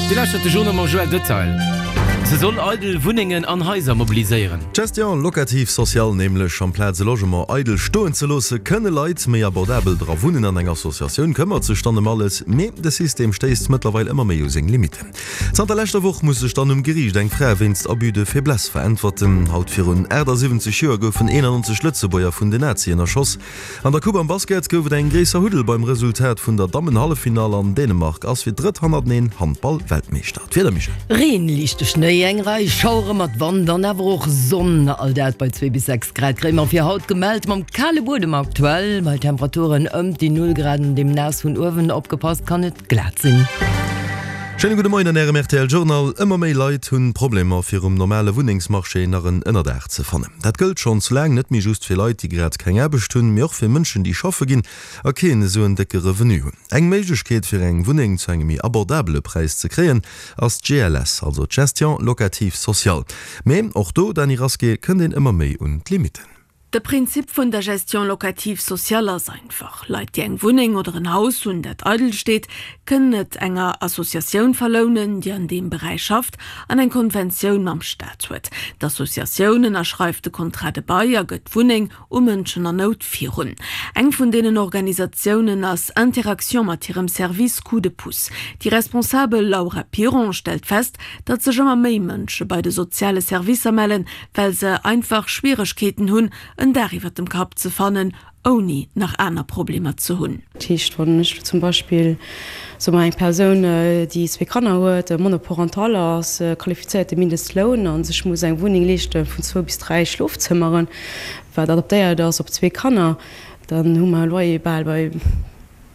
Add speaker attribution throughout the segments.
Speaker 1: Dir lauschtert de Journal mam Joël Detail. Se soll eidel Wunnengen an Haiser mobiliséieren.
Speaker 2: D'Gestion locative sociale, nämlech amplaz e Logement eidel stoen ze loosse, kënne Leit méi abordabel dra wunnen an eng Associatioun këmmert sech dann ëm alles. Mee de System stéisst mëttlerweil ëmmer méi u seng Limitten. Zanter leschter Woch muss sech dann um Geriicht eng Fra wéinst Abus de faiblesse veräntwerten. Haut virun 78 Joer goufen 91 Lëtzebuerger vun den Nazien erschoss. An der Coupe am Basket gouf et eng gréisser Huddel beim Resultat vun der Dammenhalleffinall an Dänemark ass fir d'drëtt hannerteneen Handball-Weltmeeschter. D'Wieder, Michèle?
Speaker 3: Reen, liichte Schnéi, eng Rei Schauere mat Wand an awer och Sonn, all dat bei 2 bis 6 Grad kréie mer fir haut gemellt. Mam kale Buedem aktuell bei Temperaturen ëmt déi Null Grad an deem naass vun uewen, opgepasst, kann et glat sinn.
Speaker 2: Schéine gudde Moien an Ärem rtl Journal. Ëmmer méi Leit hunn Problemer fir um normale Wunnengsmarché nach en Ënnerdaach ze fannen. Dat gëllt schonns laang net méi just fir Leit déi grad keng Aarbecht hunn, mee och fir Mënschen déi schaffe ginn a keen esou en décke Revenu hunn. Eng Méiglechkeet fir eng Wunneng zu engem méi abordabele Präis ze kréien ass d'GLS, also d'Gestion locative sociale. Mee och do, Dany Rasqué, kënnt een ëmmer méi un d'Limitten.
Speaker 4: De Prinzip vun der Gestion locative sociale ass einfach, Leit, déi eng Wunneng oder en Haus hunn, dat eidel steet, kënnen et enger Associatioun verlounen, déi an deem Beräich schafft an eng Konventioun mam Staat huet. D'Associatioun ënnerschreift de Contrat de bail a gëtt d'Wunneng u Mënschen an Nout virun. Eng vun deenen Organisatiounen ass Interaction mat hirem Service Coup de pouce. Déi Responsabel Laura Piron stellt fest, datt sech ëmmer méi Mënsche bei de soziale Servicer mellen, well se einfach Schwieregkeeten hunn, en Daach iwwer dem Kapp ze fannen, ouni nach aner Problemer ze hunn.
Speaker 5: Dat heescht, wann ech elo zum Beispill, soe mer, eng Persoun, déi zwee Kanner huet, monoparental ass, qualifizéierte Mindestloun a sech muss eng Wunneng leeschte vun zwou bis dräi Schlofzëmmeren, wat adaptéiert ass op zwee Kanner, dann hu mer e Loyer bal bei,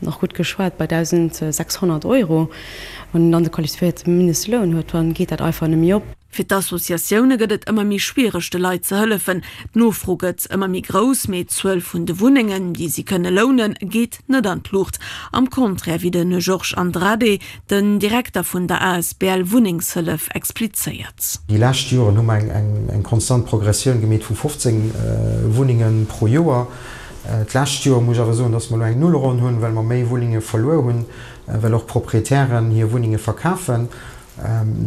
Speaker 5: nach gutt geschwat, bei 1.600 Euro. Wann een dann de qualifizéierte Mindestloun huet, dann geet dat einfach net méi op.
Speaker 4: Fir d'Associatioune gëtt et ëmmer méi schwiereg de Leit ze hëllefen. D'Nofro gëtt ëmmer méi grouss, mee d'Zuel vun de Wunnengen, déi si kënne lounen, geet net an d'Luucht. Am Contraire, wéi de Georges Andrade, den Direkter vun der asbl Wunnengshëllef, explizéiert.
Speaker 6: Déi lescht Joren hu mer eng konstant Progressioun gemeet vu 15 Wunnenge pro Joer. D'lescht Joer muss ech awer soen, dass mer elo eng Nullronn hunn, well mer méi Wunnenge verluer hunn, well och Proprietären hir Wunnenge verkafen.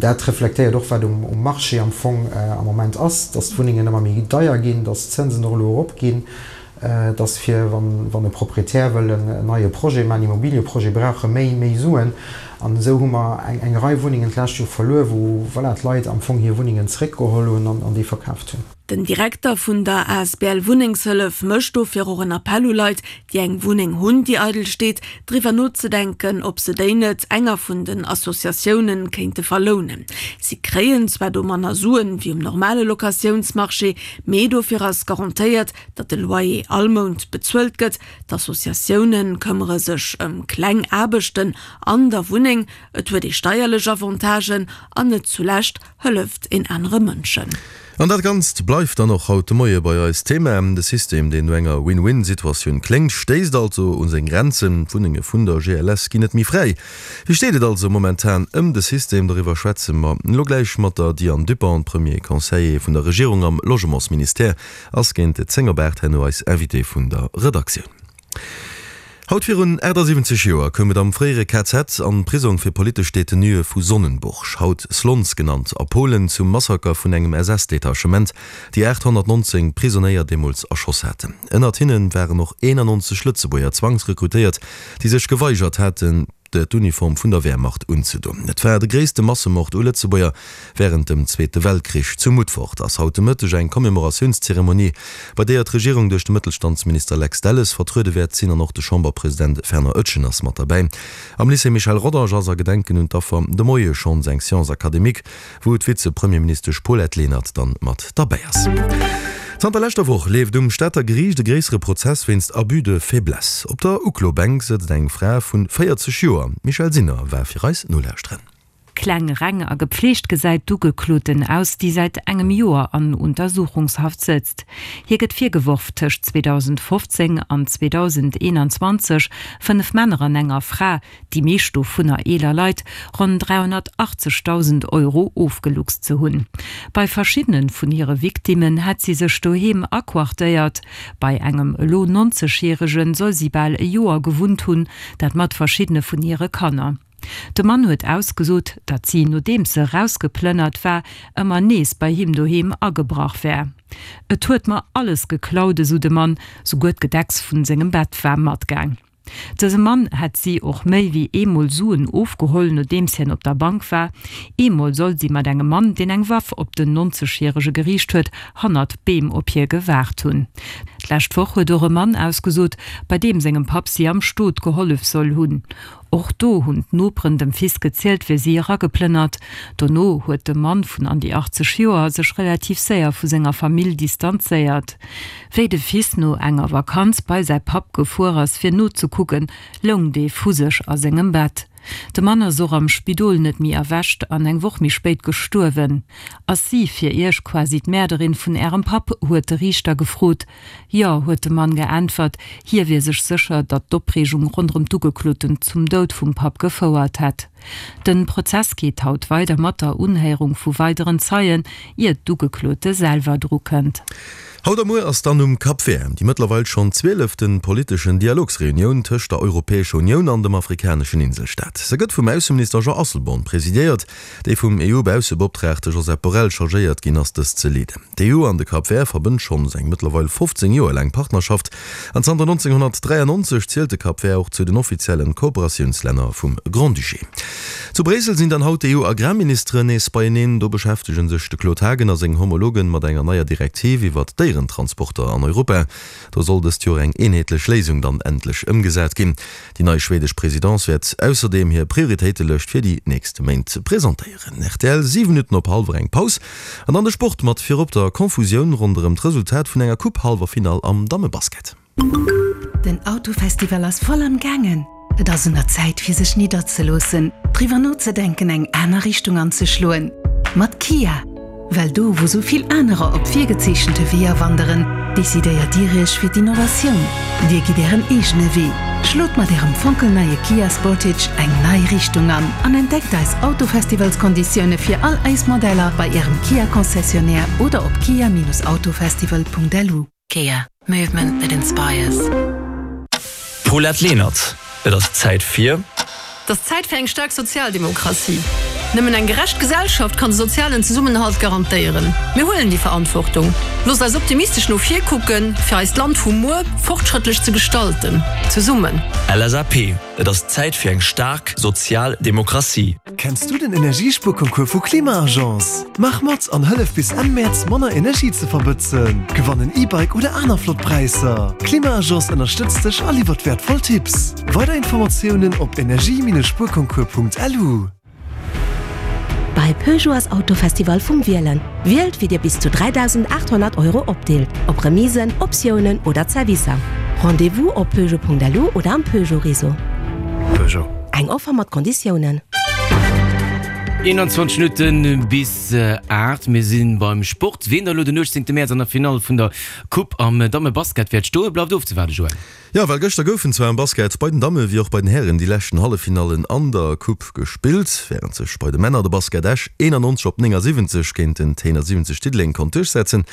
Speaker 6: Dat reflektéiert och, wat um Marché am Fong am Moment ass, dass d'Wunnengen ëmmer méi deier ginn, dass d'Zënsen och elo eropginn, dass fir, wann e Proprietär wëll en neie Projet maachen, en Immobilieprojet, brauch e méi, méi Suen. An esou hu mer eng Rei Wunnengen d'lescht Joer verluer, wou, voilà, d'Leit am Fong hir Wunnengen zeréckgeholl hunn an déi verkaaft hunn.
Speaker 4: Den Direkter vun der asbl Wunnengshëllef mécht dofir och en Appell u Leit, déi eng Wunneng hunn, déi eidel steet, driwwer nozedenken, ob se déi net enger vun den Associatioune kéinte verlounen. Si kréien zwar do manner Suen wéi um normale Locatiounsmarché, mee dofir ass garantéiert, datt de Loyer all Mount bezuelt gëtt. D'Associatioune këmmere sech ëm kleng Aarbechten an der Wunneng, et huet ee steierlech Avantagen an net zulescht hëlleft een anere Mënschen.
Speaker 2: An dat Ganzt bleift dann och haut de Moie bei eis Thema. De System, deen no enger Win-Win-Situatioun kléngt, stéisst also u seng Grenzen. D'Wunnenge vun der GLS ginn net méi fräi. Wéi steet et also momentan ëm de System? Doriwwer schwätze mer elo gläich mat der Diane Dupont, Premier Conseiller vun der Regierung am Logementsministère, ass géint 10 op 8 herno eis Invitée vun der Redaktioun. Haut virun 78 Joer koum et am fréiere KZ an Prisong fir politesch Detenuë vu Sonnenburg, haut Slonz genannt, a Polen zum Massaker vun engem SS-Detachement, déi 819 Prisonéier deemools erschoss haten. Ënnert hinne waren och 91 Lëtzebuerger zwangsrekrutéiert, déi sech geweigert haten, d'Uniform vun der Wehrmacht unzedon. Et war de gréisste Massemord u Lëtzebuerger wärend dem Zweete Weltkrich. Zu Mutfort ass haut de Mëtteg eng Commémoratiounszeremonie, bei deeër d'Regierung duerch de Mëttelstandsminister Lex Delles vertruede wäert sinn an och de Chamberpresident Fernand Etgen ass mat derbäi. Am Lycée Michel Rodange ass a Gedenken un d'Affer de Moie schonns eng Séance académique, wou d'Vize-Premierministesch Paulette Lenert dann mat derbäi ass. Zanter leschter Woch leeft um Stater Geriicht e gréissere Prozess wéinst Abus de faiblesse. Op der Uklobänk sëtzt eng Fra vun 40 Joer. D'Michèle Sinner war fir eis nolauschteren.
Speaker 7: Kleng, reng a gepfleegt gesäit d'Ugekloten aus, déi säit engem Joer an Untersuchungshaft sëtzt. Hir gëtt virgeworf, tëscht 2015 an 2021 fënnef Männer an enger Fra, déi meescht dovunner eeler Leit, ronn 380.000 Euro ofgeluchst ze hunn. Bei verschiddene vun hire Victimmen hätt si sech doheem aquartéiert. Bei engem elo 90 Järege soll si bal e Joer gewunnt hunn, dat mat verschiddene vun hire Kanner. De Mann huet ausgesot, datt si, nodeems se erausgeplënnert war, ëmmer nees bei him doheem agebrach wär. Et huet mer alles geklaut, esou de Mann, souguer d'Gedecks vun sengem Bett war matgaang. Dëse Mann hätt si och méi wéi eemol Suen ofgeholl, nodeems hien op der Bank war. Eemol soll si mat engem Mann, deen eng Waff op den 90 järege geriicht huet, hannert Beem op hie gewaart hunn. D'lescht Woch huet och e Mann ausgesot, bei deem sengem Papp si am Stot gehollef soll hunn. Och do hunn d'Noperen dem Fils gezielt, wéi si erageplënnert. Dono huet de Mann vun an déi 80 Joer sech relativ séier vu senger Famill distanzéiert. Wéi de Fils no enger Vakanz bei säi Papp gefuer ass fir nozekucken, loung dee vu sech a sengem Bett. De Mann ass och am Spidol net méi erwächt an eng Woch méi spéit gestuerwen. Ass si fir Iech quasi d'Mäerderin vun Ärem Papp? huet de Riichter gefrot. Jo, huet de Mann geäntwert. Hie wier sech sécher, datt d'Opreegung ronderëm d'Ugekloten zum Doud vum Papp gefouert hätt. De Prozess geet haut weider mat der Unhéierung vu weideren Zeien, ier d'Ugeklote selwer dru kënnt.
Speaker 2: Haut a muer ass dann um Cap Vert déi mëttlerweil schonn zwielefte politeschen Dialogsreunioun tëscht der Europäescher Unioun an dem afrikaneschen Inselstaat. Se gëtt vum Ausseminister Jean Asselborn presidéiert, dee vum EU-Baussebeoptraagte Josep Borrell chargéiert ginn ass, dës ze leeden. D'EU an de Cap Vert verbënnt schonns eng mëttlerweil 15 Joer laang Partnerschaft an zanter 1993 zielt de Cap Vert och zu den offiziellen Kooperatiounslänner vum Grand-Duché. Zu Bréissel sinn dann haut d'EU-Agrarministeren nees beieneen. Do beschäftege sech de Claude Haagen a seng Homologen mat enger neier Direktiv iwwert d'Déierentransporter an Europa. Do soll dëst Joer eng eenheetlech Léisung dann endlech ëmgesat ginn. Déi nei schwedesch Presidence wäert ausserdeem hir Prioritéitelëscht fir déi nächst Méint presentéieren. Rtl, 7 Minutten op hallwer eng Paus an dann de Sport mat virop der Confusioun ronderëm d'Resultat vun enger Coupe-Hallwerfinall am Dammebasket.
Speaker 8: Den Autofestival ass voll am gaangen! Et ass un der Zäit fir sech nidderzeloossen, driwwer nozedenken eng aner Richtung anzeschloen. Mat Kia! Well do wou sou vill anerer op virgezeechente Weeër wanderen, decidéiert Dir Iech fir d'Innovatioun. Dir gitt Ären eegene Wee. Schlot mat Ärem fonkelneie Kia Sportage eng nei Richtung an an entdeckt eis Autofestivalskonditioune fir all eis Modeller bei Ärem Kia Concessionnaire oder op kia-autofestival.lu.
Speaker 9: Kia, movement that inspires.
Speaker 10: Paulette Lenert, Et ass Zäit fir.
Speaker 11: Et ass Zäit fir eng staark Sozialdemokratie. Nëmmen eng gerecht Gesellschaft kann de sozialen Zesummenhalt garantéieren. Mir huelen déi Verantwortung. Loosst eis optimistesch no vir kucken, fir eist Land vu muer fortschrëttlech ze gestalten. Zesummen.
Speaker 10: LSAP, Et ass Zäit fir eng staark sozial Demokratie.
Speaker 12: Kenns du den Energiespuerconcours vu Klima-Agence? Maach mat an hëllef bis Enn Mäerz manner Energie ze verbëtzen. Gewann en E-Bike oder aner flott Präisser. Klima-Agence ënnerstëtzt dech a liwwert wäertvoll Tipps. Weider Informatiounen op energie-spuerconcours.lu.
Speaker 8: Bei Peugeot ass Autofestival vum Wielen. Wielt wéi dir bis zu 3.800 Euro opdeelt, op Remisen, Optiounen oder Zerwisser. Rendez-vous op peugeot.lu oder am Peugeot Réseau.
Speaker 10: Peugeot.
Speaker 8: Eng Offer mat Konditiounen.
Speaker 1: 21 Minutten bis 8, mir si beim Sport. Wien da elo den 18 Mäerz an der Finall vun der Coupe am Dammebasket wäert stoen, bleift ofzewaarden, Joël.
Speaker 2: Jo, well gëschter goufen zwar am Basket bei den Damme wéi och bei den Hären déi leschten Halleffinallen an der Coupe gespillt. Wärend sech bei de Männer de Basket Esch 91 op 79 géint den T71 Diddeleng konnt duerchsetzen,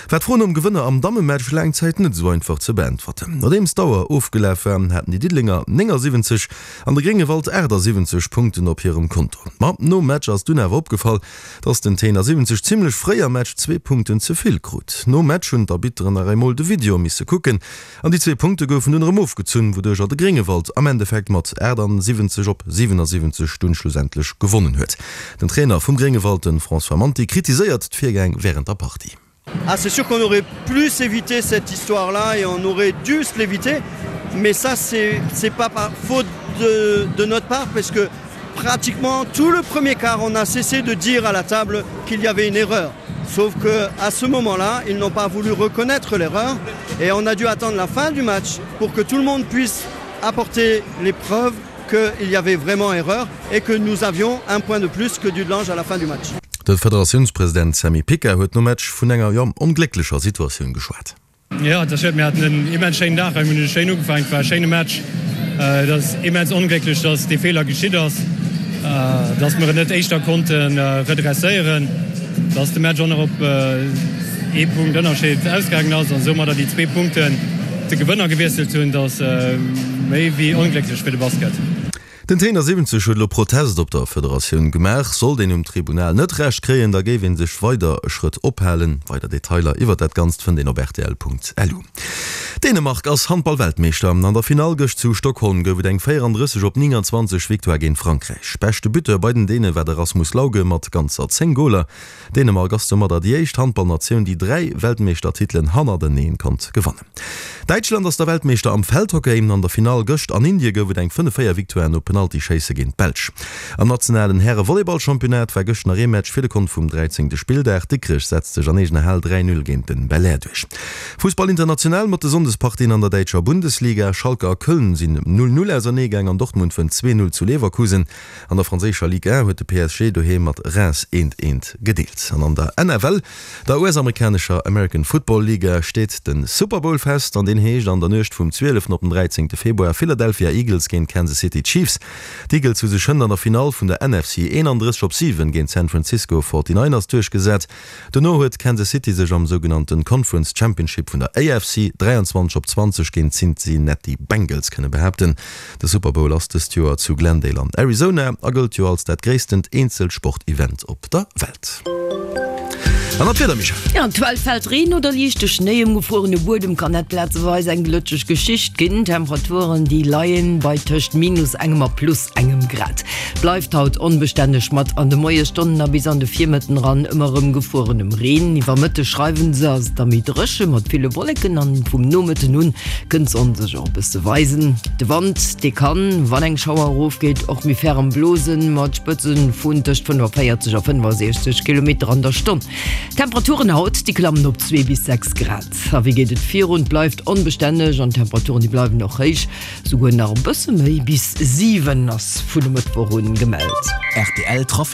Speaker 2: war d'Fro nom Gewënner am Dammematch laang Zäit net esou einfach ze beäntwerten. Nodeems d'Auer ofgelaf war, haten déi Diddelenger 79 an de Gréngewald 78 Punkten op hirem Konto. Ma nom Match ass dunn awer opgefall, dass den T71 zimmlech fréi am Match zwee Punkten ze vill krut. Nom Match hunn d'Arbitteren nach eemol de Video misse kucken An déi zwee Punkte goufen dunn erëm ofgezunn, wouduercher de Gréngewald am Endeffekt mat 78 op 77 dunn schlussendlech gewonnen huet. Den Trainer vum Gréngewald, de François Manti, kritiséiert d'Virgäng wärend der Partie.
Speaker 13: Ah c'est sûr qu'on aurait plus évité cette histoire là et on aurait dû se l'éviter mais ça c'est c'est pas par faute de de notre part parce que pratiquement tout le premier quart on a cessé de dire à la table qu'il y avait une erreur. Sauf que à ce moment-là, ils n'ont pas voulu reconnaître l'erreur et on a dû attendre la fin du match pour que tout le monde puisse apporter les preuves qu'il y avait vraiment erreur et que nous avions un point de plus que Dudelange à la fin du match.
Speaker 2: De Federatiounspresident Sammy Pica huet nom Match vun enger, jo, onglécklecher Situatioun geschwat.
Speaker 14: Jo, et ass schued. Mir haten en immens schéinen Dag hei. Mir hunn schéin ugefaangen. Et war e schéine Match. Et ass immens onglécklech, dass dee Feeler geschitt ass, dass mir et net éischter konnte redresséieren, dass de Match och nach op ee Punkt Ënnerscheed ausgaangen ass an soumadder déi zwee Punkten de Gewënner gewiesselt hunn. Dat ass méi wéi onglécklech fir de Basket.
Speaker 2: Den T71 huet elo Protest op der Federatioun gemaach. Sollt een um Tribunal net Recht kréien, da géif ee sech weider e Schrëtt ophalen. Weider Detailer iwwert dat Ganzt fënnt een op rtl.lu. Dänemark ass Handball-Weltmeeschter. An der Finall gëscht zu Stockholm gouf et eng 34 op 29 Victoire géint Frankräich. Beschte Buteur bei den Däne war de Rasmus Lauge mat ganzer 10 Goler. Dänemark ass domadder déi éischt Handballnatioun, déi 3 Weltmeeschtertitelen hannerteneen konnt gewannen. Däitschland ass der Weltmeeschter am Feldhockey. An der Finall gëscht an Indie gouf et eng 5, 4 Victoire no Penaltyschéisse géint d'Belsch. Am nationalen Häre-Volleyball-Championnat war gëscht nach ee Match fir de Kont vum 13. Spilldag. Dikrech setzt sech an eegener Hal 3, 0 géint den Belair duerch. Fussball international mat de Sonndespartien an der däitscher Bundesliga. Schalke a Köln sinn 0, 0 auserneegaang an Dortmund wënnt 2, 0 zu Leverkusen. An der franséischer Ligue 1 huet de PSG doheem mat Reims eent eent gedeelt. An an der NFL, der US-amerikanescher American Football Liga, steet de Super Bowl fest an deen heescht an der Nuecht vum 12 op den 13 Februar Philadelphia Eagles géint Kansas City Chiefs. D'Eagles hu sech hënt an der Finall vun der NFC 31 op 7 géint d'San Francisco 49ers duerchgesat. Dono huet Kansas City sech am sougenannte Conference Championship vun der AFC 23 op 20 géint d'Cincinnati Bengals kënne behaapten. De Super Bowl ass dëst Joer zu Glendale an Arizona a gëllt jo als dat gréisstent Eenzelsport-Event op der Welt. An dann d'Wieder, Michèle.
Speaker 3: Jo, aktuell fält Reen oder liichte Schnéi. Um gefruerene Buedem kann dat plazeweis eng glëtscheg Geschicht ginn. D'Temperaturen, déi leien bei tëscht minus engem a plus engem Grad. Bleift haut onbestänneg mat an de Moiesstonnen a bis an de Virmëtten eran ëmmer erëm gefruerenem Reen. Iwwer Mëtteg schreiwen se, ass et da méi dréche mat ville Wolleken an vum Nomëtten un kënnt d'Sonn sech och e bësse weisen. De Wand, dee kann, wann eng Schauer erofgeet, och méi ferrem blosen, mat Spëtze vun tëscht 45 a 65 Kilometer an der Stonn. D'Temperaturen haut, déi klammen op 2 bis 6 Grad. A wéi geet et virun? Et bleift onbestänneg an d'Temperaturen, déi bleiwen och héich. Souguer nach e bësse méi, bis 7 ass vun e Mëttwoch un gemellt.
Speaker 10: Rtl Trafic.